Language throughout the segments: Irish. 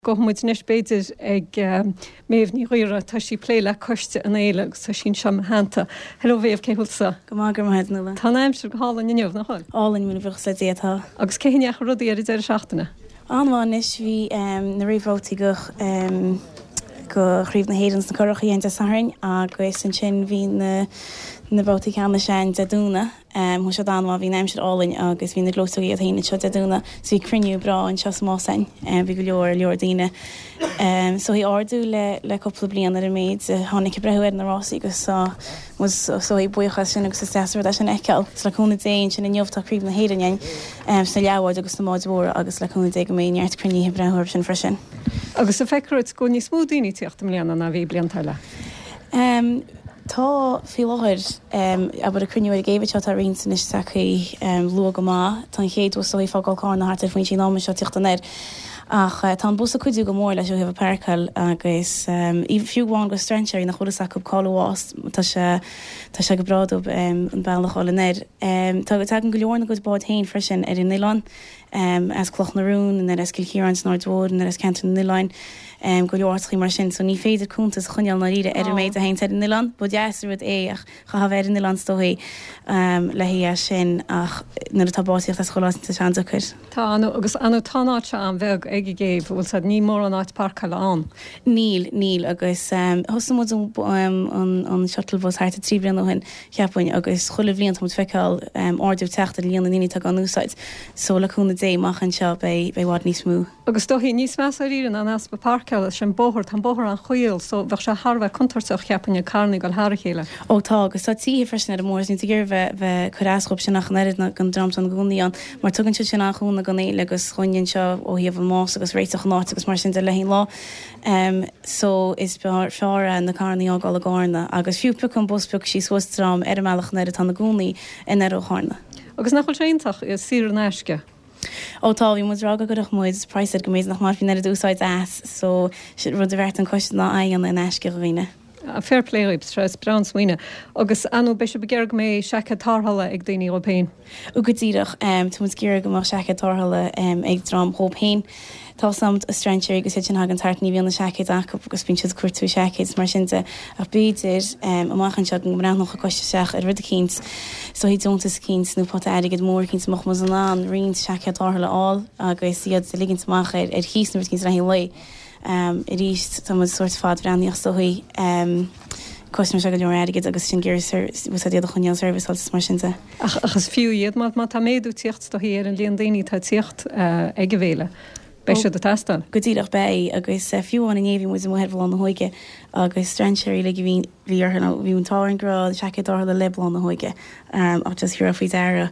Gabhfaidh muid anois b'fhéidir ag Méabh Ní Ghaora, tá sí ag plé le coiste an fhéile agus tá sí anseo i mo theannta. Hello Mhéabh, cén chaoi a bhfuil tusa? Go maith, go raibh maith agat Nuala. Tá an aimsir go hálainn inniu, nach bhfuil? Álainn, míle buíochas le Dia, tá. Agus cén chaoi a ndeachaigh rudaí ar an deireadh seachtaine? An-mhaith anois, bhí na réamhbhabhtaí go go Chraobh na hÉireann sna Curachaí ann Dé Sathairn agus ansin bhí na na babhtaí ceannais ann Dé Domhnaigh. Chuaigh siad an-mhaith, bhí an aimsir álainn agus bhí na gleoiteogaí iad féin anseo Dé Domhnaigh so bhí cruinniú breá anseo sa Más againn. Bhí go leor, leor daoine. So bhí ardú le, le cúpla bliain ar an méid a tháinig ag breathnú ar na rásaí agus tá muid so buíoch as sin agus is deas an rud é sin a fheiceáil. So le cúnamh Dé ansin inniu tá Craobh na hÉireann againn sna leathbháid agus sna báid mhóra agus le cúnamh Dé go mbeidh neart cruinnithe ag breathnú orthu sin freisin. Agus an feictear duit go bhfuil níos mó daoine ag tíocht i mbliana ná a bhí blianta eile? Tá, faoi láthair. Abair ag cruinniú ar an gcéibh anseo tá roinnt anois tagtha luath go maith. Tá an chéad bhus ag fágáil Cárna thart ar phointí an ama seo ag tíocht anoir. Ach tá an bus ag cuidiú go mór leis ó thaobh an páirceáil agus fiú amháin go strainséirí nach bhfuil fhios acu cá'il an Mhás tá sé tá sé go breá dóibh an bealach a fháil anoir. Tá tagann go leor ina gcuid bád féin freisin ar an oileán. as Cloch na Rún, nó as Cill Chiaráin san Aird Mhór, nó as Ceantar na nOileáin, go leor áiteachaí mar sin. So ní féidir cuntas a choinneáil i ndáiríre ar an méid a théanns ar an oileán. Ba dheas an rud é ach chaithfeá bheith ar an oileán is dóichí le haghaidh é sin ach nuair atá báid ag tíocht as chuile áit tá sé an-deacair. Tá, agus ar ndóigh tá an áit seo an-bheag ag an gcéibh, bhfuil 's a'd, níl mórán áit páirceála ann. Níl, níl agus thosaigh muid an an shuttle bus thart ar 3 bliana ó shin cheapfainn, agus chuile bhliain tá muid feiceáil ardú ag teacht ar líon na ndaoine atá á n-úsáid. So le cúnamh Dé, amach anseo beidh i bhfad níos mó. Agus is dóichí, níos measa dáiríre ná an easpa páirceála, is é an bóthar, tá an bóthar an-chaol, so bheadh sé thar a bheith contúirteach, cheapfainn, ag carrannaí ag dul thar a chéile. Ó tá, agus tá tithe freisin ar an mbóthar, so níl tú ag iarraidh bheith, bheith ag cur as dhóibh sin ach an oiread ná don dream atá ina gcónaí ann, mar tugann siad sin an-chúnamh don fhéile agus dhúinne anseo ó thaobh an Más agus réiteach an áit agus mar sin de le haghaidh an lá. So is fearr é na carrannaí a fhágáil i gCárna agus fiú piocadh an bus piocadh sí suas dream ar an mbealach anoir atá ina gcónaí anoir ó Chárna. Agus nach bhfuil sé iontach, saor in aisce? Ó tá, bhí muid ag rá go gcuirfeadh muid praghas air go mb'fhéidir nach mbainfí an oiread úsáid as so rud a bheartaigh an coiste ná é a dhéanamh in aisce do dhaoine. Fair play dhaoibh, sea, is breá an smaoineamh. Agus ar ndóigh, beidh sibh ag iarraidh go mbeidh seaicéad tarrthála ag daoine dhóibh féin. Ó go díreach. Tá muid ag iarraidh go mbeadh seaicéad tarrthála ag dream dhóibh féin. Tá 's a'm strainséirí agus iad sin a thagann thart, ní bhíonn na seaicéid acu agus bíonn siad ag cuartú seaicéid is mar sin de. Ach b'fhéidir, amach anseo go mbreathnódh an coiste isteach ar rud eicínt, is dóichí deontas eicínt nó pota airgid mór eicínt a mbeadh muid in ann roinnt seaicéad tarrthála a fháil agus iad a ligint amach ar cíos nó rud eicínt le haghaidh an lae. Arís, tá muid sórt fadbhreathnaíoch is dóichí. Cosnaíonn sé go leor airgid agus sinn ag iarraidh úsáid iad a choinneáil serviceáilte is mar sin de. Ach is fiú iad má tá méadú ag tíocht is dóichí ar an líon daoine atá ag tíocht ag an bhféile. Beidh siad ag teastáil. Go díreach, beidh. Agus fiú amháin inné bhí muid amuigh ar Bhláth na hÓige agus strainséirí uilig a bhí bhí orthu nó bhí an t-ádh orainn go raibh seaicéad tarrthála le Bláth na hÓige ach just thabharfá faoi deara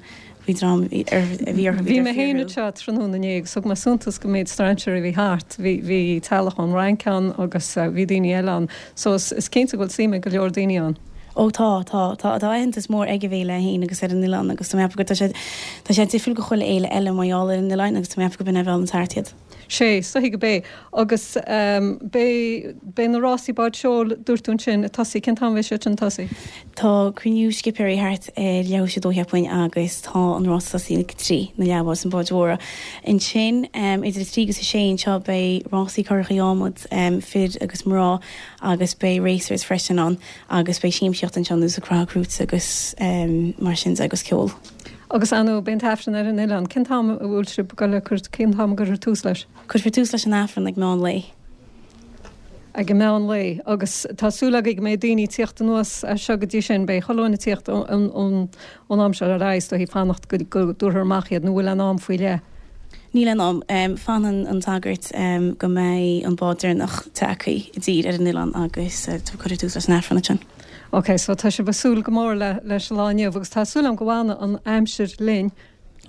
Bhí dream a bhí orthu, Bhí mé féin anseo tráthnóna inné agus thug mé suntas don méid strainséirí a bhí thart. Bhí, bhí teaghlach ón Fhrainc ann agus bhí daoine eile ann. So is, is cinnte go bhfuil suim ag go leor daoine ann. Ó tá, tá. Tá, tá aitheantas mór ag an bhféile é féin agus ar an oileán agus tá mé ag ceapadh go, tá sé, tá sé difriúil go chuile fhéile eile mar gheall ar an oileán agus tá mé ag ceapadh go b'in é a mheallann thart iad. Sé, is dóichí go b'é. Agus beidh, beidh na rásaí báid seoil, dúirt tú ansin, ag tosaí, cén t-am a bheidh siad sin ag tosaí? Tá cruinniú scipéirí thart ar leathuair théis a dó cheapfainn agus tá an rás ag tosaí ag a trí, na leathbháid is na báid mhóra. Ansin idir a trí agus a sé anseo beidh rásaí curachaí adhmaid, fir agus mná agus beidh racers freisin ann agus beidh siamsaíocht anseo ar nós ag croitheadh crúite agus mar sin de agus ceol. Agus ar ndóigh, beidh an tAifreann ar an oileán. Cén t-am a bhfuil sibh ag dul le cur, cén t-am a gcuirfear tús leis? Cuirfear tús leis an Aifreann ag meán lae. Ag an meán lae. Agus tá súil agaibh go mbeidh daoine ag tíocht anuas as seo go dtí sin. Beidh chuile dhuine ag tíocht ón am seo ar aghaidh, is dóichí, fanacht go dtabharfar amach iad, nó bhfuil aon am faoi leith? Níl aon am. Fanann an sagart go mbeidh an bád deireanach tagtha i dtír ar an oileán agus cuirfear tús leis an Aifreann ansin. Ok, so tá sibh ag súil go mór le leis an lá inniu agus tá súil agam go bhfanfaidh an aimsir linn.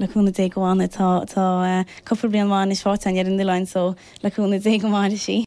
Le cúnamh Dé go bhfanfaidh. Tá tá cúpla bliain mhaith anois faighte againn ar an oileán so le cúnamh Dé go mairfidh sí.